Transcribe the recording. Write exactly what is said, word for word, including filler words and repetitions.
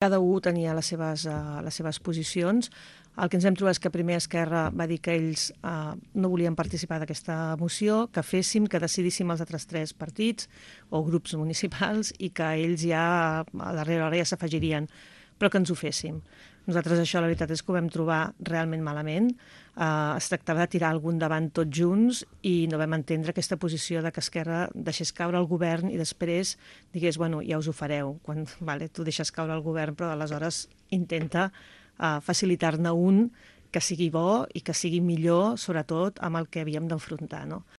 Cada un tenia les seves, uh, les seves posicions. El que ens hem trobat és que primer Esquerra va dir que ells uh, no volien participar d'aquesta moció, que féssim, que decidíssim els altres tres partits o grups municipals i que ells ja a darrera hora ja s'afegirien, però que ens ho féssim. Nosaltres això la veritat és que ho vam trobar realment malament. Uh, es tractava de tirar algun davant tots junts i no vam entendre aquesta posició de que Esquerra deixés caure el govern i després digués, bueno, ja us ho fareu. Quan, vale, tu deixes caure el govern, però aleshores intenta uh, facilitar-ne un que sigui bo i que sigui millor, sobretot amb el que havíem d'enfrontar, no?